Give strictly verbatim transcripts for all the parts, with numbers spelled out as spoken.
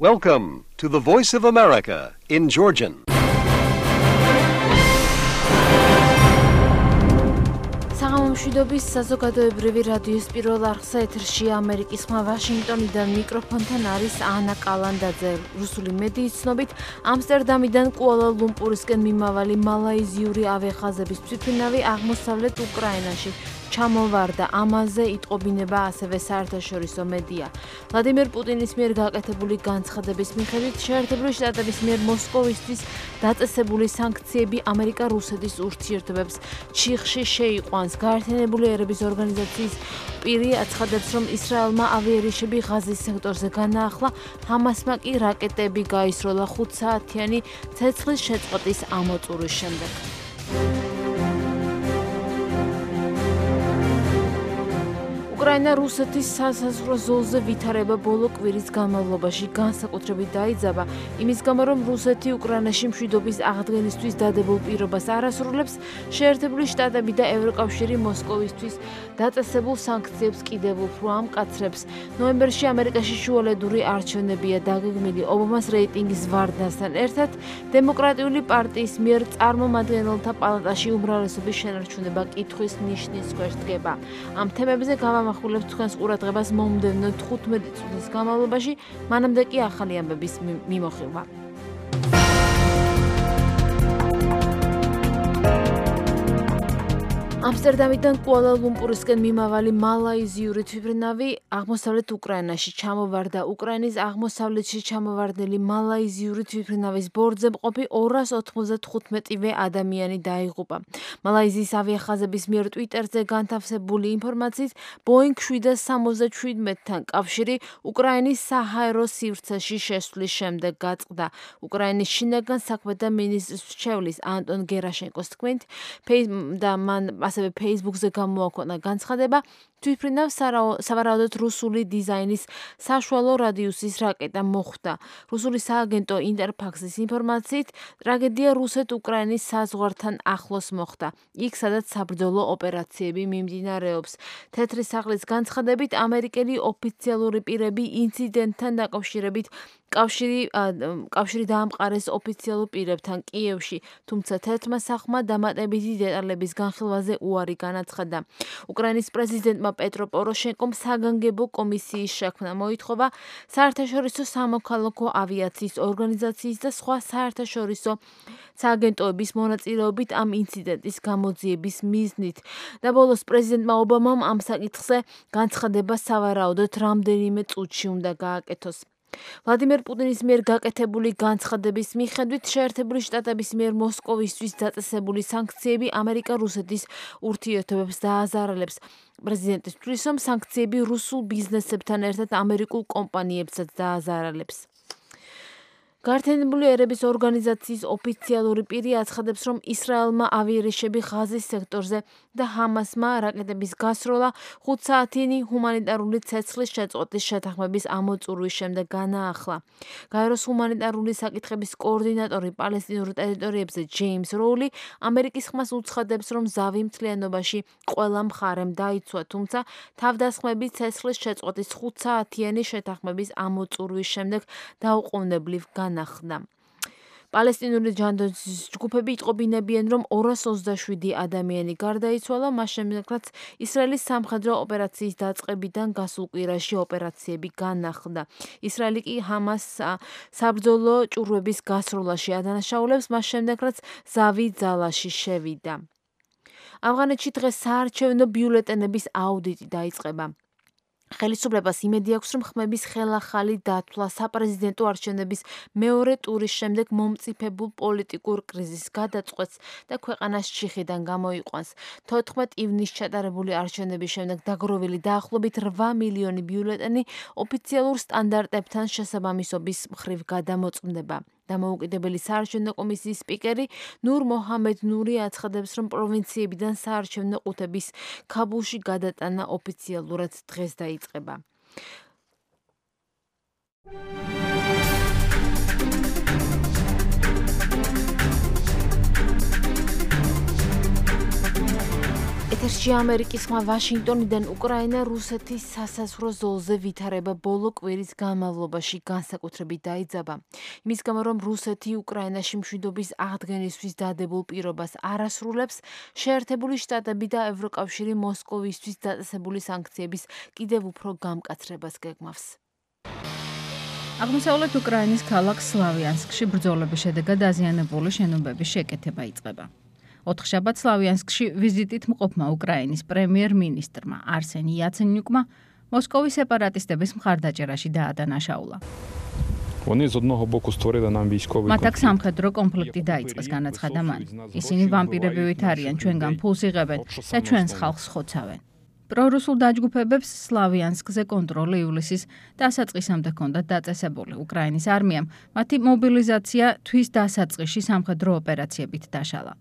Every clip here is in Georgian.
Welcome to the Voice of America in Georgian. მშვიდობის საზოგადოებრივი რადიოს პირველ არხზე ეთერში ამერიკის ხმა ვაშინგტონიდან მიკროფონთან არის ანა კალანდაძე. რუსული მედიის ცნობით ამსტერდამიდან კუალა-ლუმპურისკენ მიმავალი მალაიზიური ავიახაზების თვითმფრინავი აღმოსავლეთ უკრაინაში ჩამოვარდა. ამაზე იტყობინება ასევე საერთაშორისო მედია. ვლადიმერ პუტინის მიერ გაკეთებული განცხადების მიხედვით შეერთებული შტატების მიერ მოსკოვისთვის დაწესებული სანქციები ამერიკა-რუსეთის ურთიერთობებს ჩიხში შეიყვანს. გაერთიანებული ერების ორგანიზაციის პირი აცხადებს, რომ ისრაელმა ავიარიშები ღაზის სექტორზე განაახლა, ჰამასმა კი რაკეტები გაისროლა ხუთსაათიანი ცეცხლის შეწყვეტის ამოწურვის შემდეგ. უკრაინა რუსეთის სასაზღვრო ზოლზე ვითარება ბოლო კვირის განმავლობაში განსაკუთრებით დაიძაბა, იმის გამო, რომ რუსეთი უკრაინაში მშვიდობის აღდგენისთვის დადებულ პირობას არ ასრულებს, შეერთებული შტატები და ევროკავშირი მოსკოვისთვის დაწესებულ სანქციებს კიდევ უფრო ამკაცრებს. ნოემბერში ამერიკაში შუალედური არჩევნებია დაგეგმილი. ობამას რეიტინგის ვარდნასთან ერთად დემოკრატიული პარტიის მიერ წარმომადგენელთა პალატაში უმრავლესობის შენარჩუნება კითხვის ნიშნის ქვეშ დგება. ამ თემებზე გამამ ახულებს თქვენს ყურადღებას მომდევნო თხუთმეტი წუთის განმავლობაში, მანამდე კი ახალი ამბების მიმოხილვა. ამსტერდამიდან კუალა-ლუმპურისკენ მიმავალი მალაიზიური თვითმფრინავი აღმოსავლეთ უკრაინაში ჩამოვარდა. უკრაინის აღმოსავლეთში ჩამოვარდნილი მალაიზიური თვითმფრინავის ბორტზე მყოფი ორას ოთხმოცდათხუთმეტივე ადამიანი დაიღუპა. მალაიზიის ავიახაზების მიერ ტვიტერზე განთავსებული ინფორმაციით, ბოინგ შვიდას სამოცდაშვიდთან კავშირი უკრაინის საჰაერო სივრცეში შესვლის შემდეგ გაწყდა. უკრაინის შინაგან საქმეთა მინისტრის მრჩევლის ანტონ გერაშენკოს თქმით, და მან ასევე Facebook-ზე გამოაქვეყნა განცხადება, თვითმფრინავს სავარაუდოდ რუსული დიზაინის საშუალო რადიუსის რაკეტა მოხვდა. რუსული სააგენტო ინტერფაქსის ინფორმაციით, ტრაგედია რუსეთ-უკრაინის საზღვართან ახლოს მოხდა, იქ სადაც საბრძოლო ოპერაციები მიმდინარეობს. თეთრი სახლის განცხადებით, ამერიკელი ოფიციალური პირები ინციდენტთან დაკავშირებით კავშირი კავშირი დაამყარეს ოფიციალურ პირებთან კიევში, თუმცა თეთრმა სახმა დამატებითი დეტალების განხილვაზე უარი განაცხადა. უკრაინის პრეზიდენტმა პეტრო პოროშენკომ საგანგებო კომისიის შექმნა მოითხოვა საერთაშორისო სამოქალაქო ავიაციის ორგანიზაციის და სხვა საერთაშორისო სააგენტოების მონაწილეობით ამ ინციდენტის გამოძიების მიზნით. და ბოლოს პრეზიდენტმა ობამამ ამ საკითხზე განცხადება სავარაუდოდ რამდენიმე წუთში უნდა გააკეთოს. ვლადიმერ პუტინის მიერ გაკეთებული განცხადების მიხედვით შეერთებული შტატების მიერ მოსკოვისთვის დაწესებული სანქციები ამერიკა-რუსეთის ურთიერთობებს დააზარალებს. პრეზიდენტი თვლის, რომ სანქციები რუსულ ბიზნესებთან ერთად ამერიკულ კომპანიებსაც დააზარალებს. გაერთიანებული ერების ორგანიზაციის ოფიციალური პირი აცხადებს, რომ ისრაელმა ავიარიშები ღაზის სექტორზე და ჰამასმა რაკეტების გასროლა ხუთსაათიანი ჰუმანიტარული ცეცხლის შეწყვეტის შეთანხმების ამოწურვის შემდეგ განაახლა. გაეროს ჰუმანიტარული საკითხების კოორდინატორი პალესტინურ ტერიტორიებზე ჯეიმს როული ამერიკის ხმას უცხადებს, რომ ზავი მთლიანობაში ყველა მხარემ დაიცვა, თუმცა თავდასხმები ცეცხლის შეწყვეტის ხუთსაათიანი შეთანხმების ამოწურვის შემდეგ დაუყოვნებლივ განახდა. პალესტინური ჯანდაცვის ჯგუფები იტყობინებიან, რომ ორას ოცდაშვიდი ადამიანი გარდაიცვალა, მას შემდეგ, რაც ისრაელის სამხედრო ოპერაციის დაწყებიდან გასულ კვირაში ოპერაციები განახლდა. ისრაელი კი ჰამასს საბრძოლო ჭურვების გასროლაში ადანაშაულებს, მას შემდეგ, რაც ზავი ძალაში შევიდა. ავღანეთში დღეს საარჩევნო ბიულეტენების აუდიტი დაიწყება. ხელისუფლებას იმედი აქვს, რომ ხმების ხელახალი დათვლა საპრეზიდენტო არჩევნების მეორე ტურის შემდეგ მომწიფებულ პოლიტიკურ კრიზისს გადაწყვეტს და ქვეყანას ჩიხიდან გამოიყვანს. თოთხმეტ ივნისს ჩატარებული არჩევნების შემდეგ დაგროვილი დაახლოებით რვა მილიონი ბიულეტენი ოფიციალურ სტანდარტებთან შესაბამისობის მხრივ გადამოწმდება. დამოუკიდებელი საარჩევნო კომისიის სპიკერი ნურ მოჰამედ ნური აცხადებს, რომ პროვინციებიდან საარჩევნო ყუთების ქაბულში გადატანა ოფიციალურად დღეს დაიწყება. პულსში ამერიკის ხმა ვაშინგტონიდან უკრაინა რუსეთის სასაზღვრო ზოლზე ვითარება ბოლო კვირის განმავლობაში განსაკუთრებით დაიძაბა. იმის გამო, რომ რუსეთი უკრაინაში მშვიდობის აღდგენისთვის დადებულ პირობას არ ასრულებს, შეერთებული შტატები და ევროკავშირი მოსკოვისთვის დაწესებული სანქციების კიდევ უფრო გამკაცრებას გეგმავს. აღმოსავლეთ უკრაინის ქალაქ სლავიანსკში ბრძოლების შედეგად დაზიანებული შენობების შეკეთება იწყება. ოთხშაბათს სლავიანსკში ვიზიტით მყოფმა უკრაინის პრემიერ-მინისტრმა არსენ იაცენიუკმა მოსკოვის სეპარატისტების მხარდაჭერაში დაადანაშაულა. მათ აქ სამხედრო კონფლიქტი დაიწყეს, განაცხადა მან. ისინი ვამპირები ვით არიან, ჩვენგან ფულს იღებენ და ჩვენს ხალხს ხოცავენ. პრორუსულ დაჯგუფებებს სლავიანსკზე კონტროლი ივლისის დასაწყისამდე ჰქონდათ დაწესებული. უკრაინის არმიამ მათი მობილიზაცია თვის დასაწყისში სამხედრო ოპერაციებით დაშალა.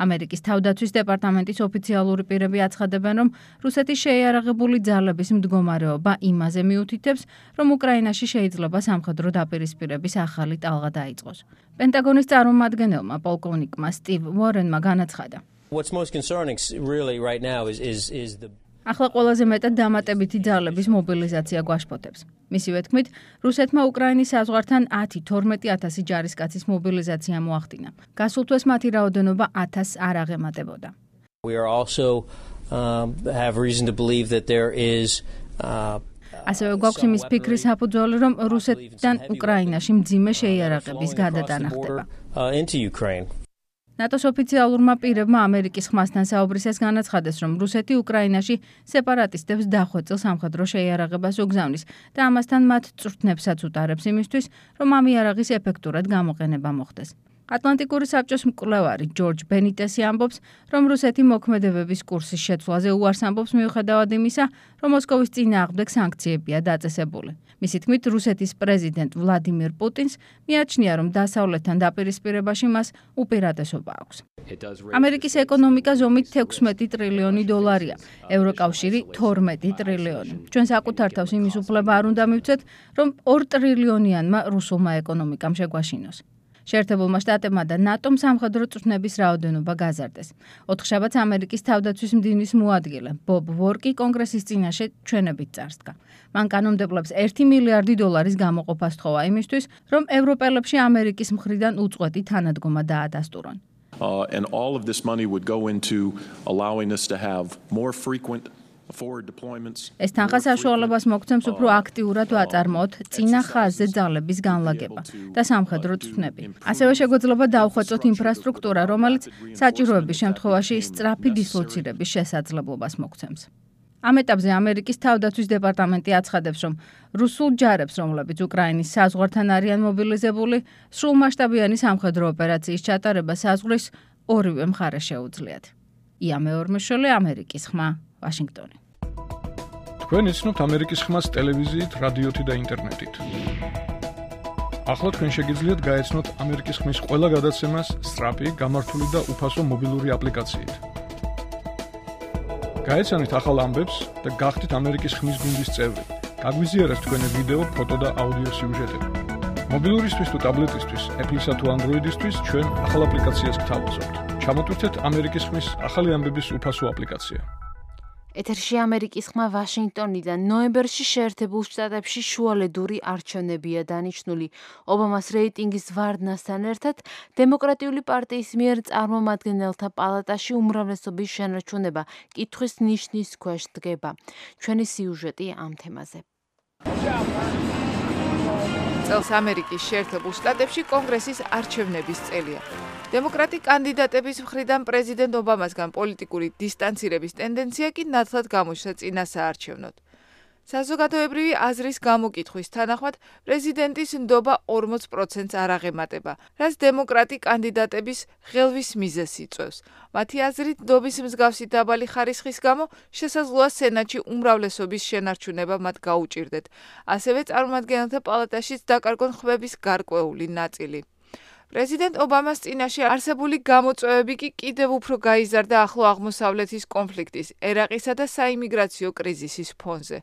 ამერიკის თავდაცვის დეპარტამენტის ოფიციალური პირები აცხადებენ, რომ რუსეთის შეიარაღებული ძალების მდგომარეობა იმაზე მიუთითებს, რომ უკრაინაში შეიძლება სამხედრო დაპირისპირების ახალი ტალღა დაიწყოს. პენტაგონის წარმომადგენელმა პოლკოვნიკმა სტივ უორენმა განაცხადა. What's most concerning really right now is is is the ახლა ყველაზე მეტად დამატებითი ძალების მობილიზაცია გვაშფოთებს. მისივე თქმით, რუსეთმა უკრაინის საზღვართან ათი თორმეტი ათასი ჯარისკაცის მობილიზაცია მოახდინა. გასულ თვეს მათი რაოდენობა ათასს არ აღემატებოდა. We are also um, have reason to believe that there is uh, ასევე გვაქვს იმის ფიქრის საფუძველი, რომ რუსეთიდან უკრაინაში მძიმე შეიარაღების გადატანა ხდება. into Ukraine. ნატოს ოფიციალურმა პირებმა ამერიკის ხმასთან საუბრისას განაცხადეს, რომ რუსეთი უკრაინაში სეპარატისტებს დახვეწილ სამხედრო შეიარაღებას უგზავნის და ამასთან მათ წვრთნებსაც უტარებს იმისთვის, რომ ამ იარაღის ეფექტურად გამოყენება მოხდეს. ატლანტიკური საბჭოს მკვლევარი ჯორჯ ბენიტესი ამბობს, რომ რუსეთი მოქმედებების კურსის შეცვლაზე უარს ამბობს მიუხედავად იმისა, რომ მოსკოვის წინააღმდეგ სანქციებია დაწესებული. მისი თქმით, რუსეთის პრეზიდენტ ვლადიმირ პუტინს მიაჩნია, რომ დასავლეთთან დაპირისპირებაში მას უპირატესობა აქვს. ამერიკის ეკონომიკა ზომით ექვსმეტი ტრილიონი დოლარია, ევროკავშირი თორმეტი ტრილიონი. ჩვენ საკუთარ თავს იმის უფლება არ უნდა მივცეთ, რომ ორ ტრილიონიანმა რუსულმა ეკონომიკამ შეგვაშინოს. შეერთებულმა შტატებმა და ნატომ სამხედრო წვრთნების რაოდენობა გაზარდეს. ოთხშაბათს ამერიკის თავდაცვის მდივნის მოადგილე ბობ ვორკი კონგრესის წინაშე ჩვენებით წარსდგა. მან კანონმდებლებს ერთი მილიარდი დოლარის გამოყოფა სთხოვა იმისთვის, რომ ევროპელებში ამერიკის მხრიდან უწყვეტი თანადგომა დაადასტურონ. Uh, and all of this money would go into allowing us to have more frequent ეს თანხა საშუალებას მოგცემს უფრო აქტიურად ვაწარმოოთ წინა ხაზზე ძალების განლაგება და სამხედრო წვრთნები. ასევე შეგვეძლება დავხვეწოთ ინფრასტრუქტურა, რომელიც საჭიროების შემთხვევაში სწრაფი დისლოცირების შესაძლებლობას მოგცემს. ამ ეტაპზე ამერიკის თავდაცვის დეპარტამენტი აცხადებს, რომ რუსულ ჯარებს, რომლებიც უკრაინის საზღვართან არიან მობილიზებული, სრულმასშტაბიანი სამხედრო ოპერაციის ჩატარება საზღვრის ორივე მხარეს შეუძლიათ. ია მეორმეშვილი, ამერიკის ხმა, ვაშინგტონი. თქვენ იცნობთ ამერიკის ხმას ტელევიზიით, რადიოთი და ინტერნეტით. ახლა თქვენ შეგიძლიათ გაეცნოთ ამერიკის ხმის ყველა გადაცემას სწრაფი, გამართული და უფასო მობილური აპლიკაციით. გაეცანით ახალ ამბებს და გახდით ამერიკის ხმის გუნდის წევრი. გაგვიზიარეთ თქვენი ვიდეო, ფოტო და აუდიო სიუჟეტები. მობილურისთვის თუ ტაბლეტისთვის, Apple-ისა თუ Android-ისთვის ჩვენ ახალ აპლიკაციას გთავაზობთ. ჩამოტვირთეთ ამერიკის ხმის ახალი ამბების უფასო აპლიკაცია. ეთერში ამერიკის ხმა ვაშინგტონიდან. ნოემბერში შეერთებულ შტატებში შუალედური არჩევნებია დანიშნული. ობამას რეიტინგის ვარდნასთან ერთად დემოკრატიული პარტიის მიერ წარმომადგენელთა პალატაში უმრავლესობის შენარჩუნება კითხვის ნიშნის ქვეშ დგება. ჩვენი სიუჟეტი ამ თემაზე. წელს ამერიკის შეერთებულ შტატებში კონგრესის არჩევნების წელია. დემოკრატი კანდიდატების მხრიდან პრეზიდენტ ობამასგან პოლიტიკური დისტანცირების ტენდენცია კი ნათლად გამოჩნდა წინა საარჩევნოდ. საზოგადოებრივი აზრის გამოკითხვის თანახმად პრეზიდენტის ნდობა ორმოც პროცენტს არ აღემატება, რაც დემოკრატი კანდიდატების ღელვის მიზეზს იწვევს. მათი აზრით, ნდობის მსგავსი დაბალი ხარისხის გამო შესაძლოა სენატში უმრავლესობის შენარჩუნება მათ გაუჭირდეთ. ასევე წარმომადგენელთა პალატაშიც დაკარგონ ხმების გარკვეული ნაწილი. პრეზიდენტ ობამას წინაშე არსებული გამოწვევები კი კიდევ უფრო გაიზარდა ახლო აღმოსავლეთის კონფლიქტის, ერაყისა და საიმიგრაციო კრიზისის ფონზე.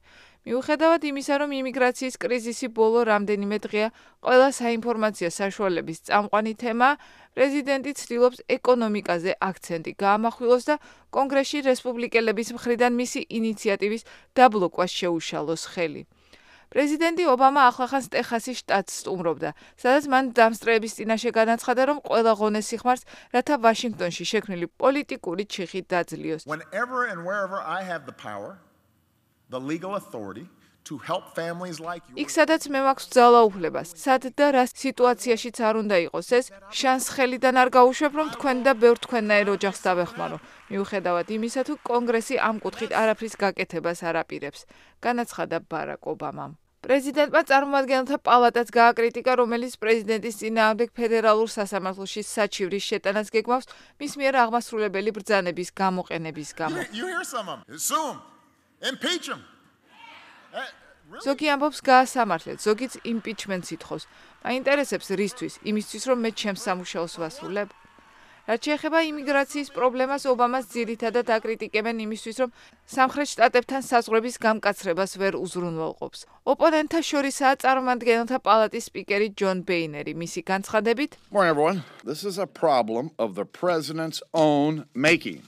მიუხედავად იმისა, რომ იმიგრაციის კრიზისი ბოლო რამდენიმე დღეა ყველა საინფორმაციო საშუალების წამყვანი თემაა, პრეზიდენტი ცდილობს ეკონომიკაზე აქცენტი გაამახვილოს და კონგრესში რესპუბლიკელების მხრიდან მისი ინიციატივის დაბლოკვას შეუშალოს ხელი. პრეზიდენტი ობამა ახლახანს ტეხასის შტატს სტუმრობდა, სადაც მან დამსწრეების წინაშე განაცხადა, რომ ყველა ღონეს სიხმარს, რათა ვაშინგტონში შექმნილი პოლიტიკური ჩიხი დაძლიოს. Whenever and wherever I have the power, the legal authority to help families like you. იქ სადაც მე მაქვს ძალაუფლება, სად და რა სიტუაციაშიც არ უნდა იყოს ეს, შანს ხელიდან არ გაუშვებ, რომ თქვენ და ბევრ თქვენნაირ ოჯახს დავეხმარო. მიუხედავად იმისა, თუ კონგრესი ამ კუთხით არაფრის გაკეთებას არ აპირებს, განაცხადა ბარაკ ობამამ. პრეზიდენტმა წარმომადგენელთა პალატაც გააკრიტიკა, რომელიც პრეზიდენტის წინააღმდეგ ფედერალურ სასამართლოში საჩივრის შეტანას გეგმავს მის მიერ აღმასრულებელი ბრძანების გამოყენების გამო. You hear some of them. Sue them. Impeach them. ზოგი ამბობს გაასამართლეთ, ზოგიც იმპიჩმენტს ითხოვს. მაინტერესებს რისთვის, იმისთვის რომ მე ჩემს სამუშაოს ვასრულებ. რაც შეეხება იმიგრაციის პრობლემას, ობამას ძირითადად აკრიტიკებენ იმისთვის, რომ სამხრეთ შტატებთან საზღვრების გამკაცრებას ვერ უზრუნველყოფს. ოპონენტთა შორისაა წარმომადგენელთა პალატის სპიკერი ჯონ ბეინერი, მისი განცხადებით. Morning everyone. This is a problem of the president's own making.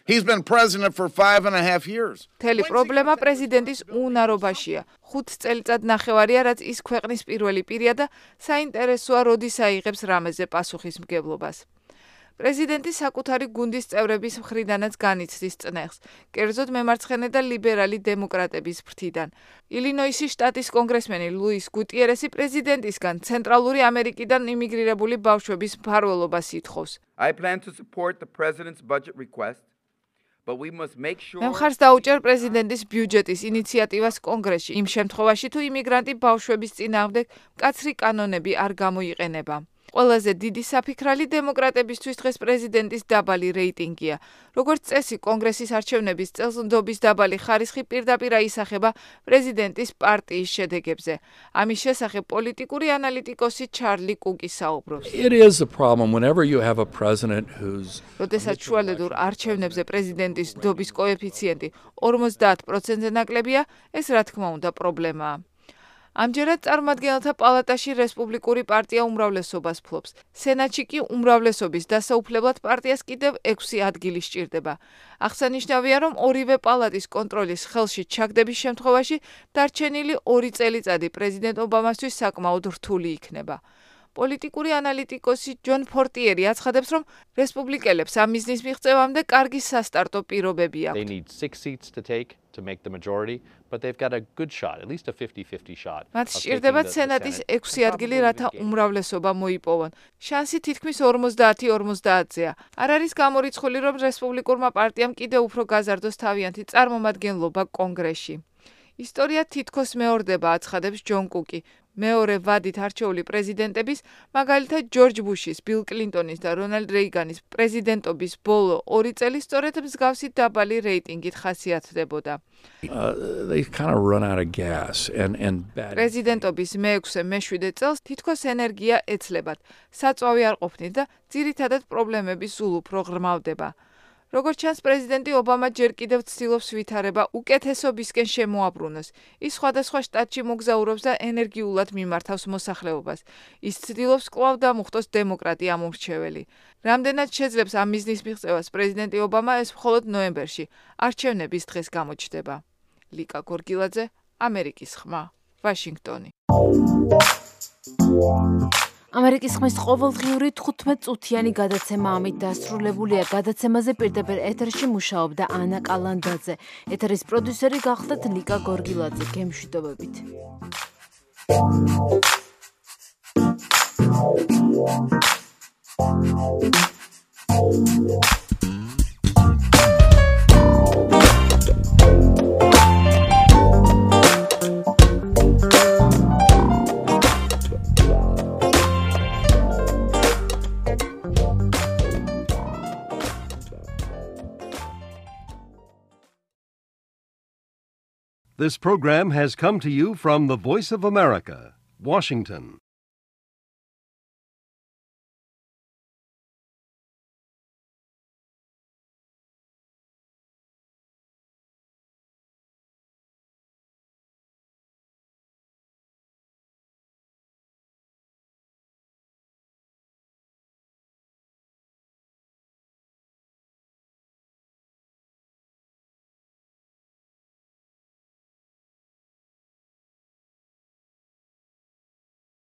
He's been president for five and a half years. Თელი პრობლემა პრეზიდენტის უნარობაშია. ხუთ წელიწად ნახევარია, რაც ის ქვეყნის პირველი პირია და საინტერესოა, როდის აიღებს რამეზე პასუხისმგებლობას. პრეზიდენტი საკუთარი გუნდის წევრების მხრიდანაც განიცდის წნეხს, კერძოდ მემარცხენე და ლიბერალი დემოკრატების ფრთიდან. ილინოისის შტატის კონგრესმენი ლუის გუტიერესი პრეზიდენტისგან ცენტრალური ამერიკიდან იმიგრირებული ბავშვების მფარველობას ითხოვს. I plan to support the president's budget request. But we must make sure მე მხარს დაუჭერ პრეზიდენტის ბიუჯეტის ინიციატივას კონგრესში, იმ შემთხვევაში, თუ იმიგრანტი ბავშვების წინააღმდეგ მკაცრი კანონები არ გამოიყენება. ყველაზე დიდი საფიქრალი დემოკრატებისთვის დღეს პრეზიდენტის დაბალი რეიტინგია. როგორც წესი, კონგრესის არჩევნების წელს ნდობის დაბალი ხარისხი პირდაპირ აისახება პრეზიდენტის პარტიის შედეგებზე. ამის შესახებ პოლიტიკური ანალიტიკოსი ჩარლი კუკი საუბრობს. It is a problem whenever you have a president who's როდესაც შუალედურ არჩევნებზე პრეზიდენტის ნდობის კოეფიციენტი ორმოცდაათ პროცენტზე ნაკლებია, ეს რა თქმა უნდა პრობლემაა. ამჯერად წარმომადგენელთა პალატაში რესპუბლიკური პარტია უმრავლესობას ფლობს. სენატში კი უმრავლესობის დასაუფლებლად პარტიას კიდევ ექვსი ადგილი სჭირდება. აღსანიშნავია, რომ ორივე პალატის კონტროლის ხელში ჩაგდების შემთხვევაში დარჩენილი ორი წელიწადი პრეზიდენტ ობამასთვის საკმაოდ რთული იქნება. პოლიტიკური ანალიტიკოსი ჯონ ფორტიერი აცხადებს, რომ რესპუბლიკელებს ამ მიზნის მიღწევამდე კარგი სასტარტო პირობები They აქვთ. need six seats to take to make the majority, but they've got a good shot, at least a fifty-fifty shot. მათ of taking სჭირდებათ the- the სენატის Senate ექვსი and ადგილი, probably რათა regaining. უმრავლესობა მოიპოვონ. შანსი თითქმის ორმოცდაათი ორმოცდაათზეა. არ არის გამორიცხული, რომ რესპუბლიკურმა პარტიამ კიდევ უფრო გაზარდოს თავიანთი წარმომადგენლობა კონგრესში. ისტორია თითქოს მეორდება, აცხადებს ჯონ კუკი. მეორე ვადით არჩეული პრეზიდენტების, მაგალითად ჯორჯ ბუშის, ბილ კლინტონის და რონალდ რეიგანის პრეზიდენტობის ბოლო ორი წელი სწორედ მსგავსი დაბალი რეიტინგით ხასიათდებოდა. uh, they kind of run out of gas and and bad. პრეზიდენტობის მეექვსე მეშვიდე წელს თითქოს ენერგია ეცლებათ, საწვავი არ ყოფნით და ძირითადად პრობლემები სულ უფრო ღრმავდება. როგორც ჩანს, პრეზიდენტი ობამა ჯერ კიდევ ცდილობს ვითარება უკეთესობისკენ შემოაბრუნოს. ის სხვადასხვა შტატში მოგზაურობს და ენერგიულად მიმართავს მოსახლეობას. ის ცდილობს კვლავ დამუხტოს დემოკრატი ამომრჩეველი. რამდენად შეძლებს ამ მიზნის მიღწევას პრეზიდენტი ობამა, ეს მხოლოდ ნოემბერში, არჩევნების დღეს გამოჩნდება. ლიკა გორგილაძე, ამერიკის ხმა, ვაშინგტონი. ამერიკის ხმის ყოველდღიური თხუთმეტ წუთიანი გადაცემა ამით დასრულებულია. გადაცემაზე პირდაპირ ეთერში მუშაობდა ანა კალანდაძე. ეთერის პროდიუსერი გახლდათ ლიკა გორგილაძე. გემშვიდობებით. This program has come to you from the Voice of America, Washington.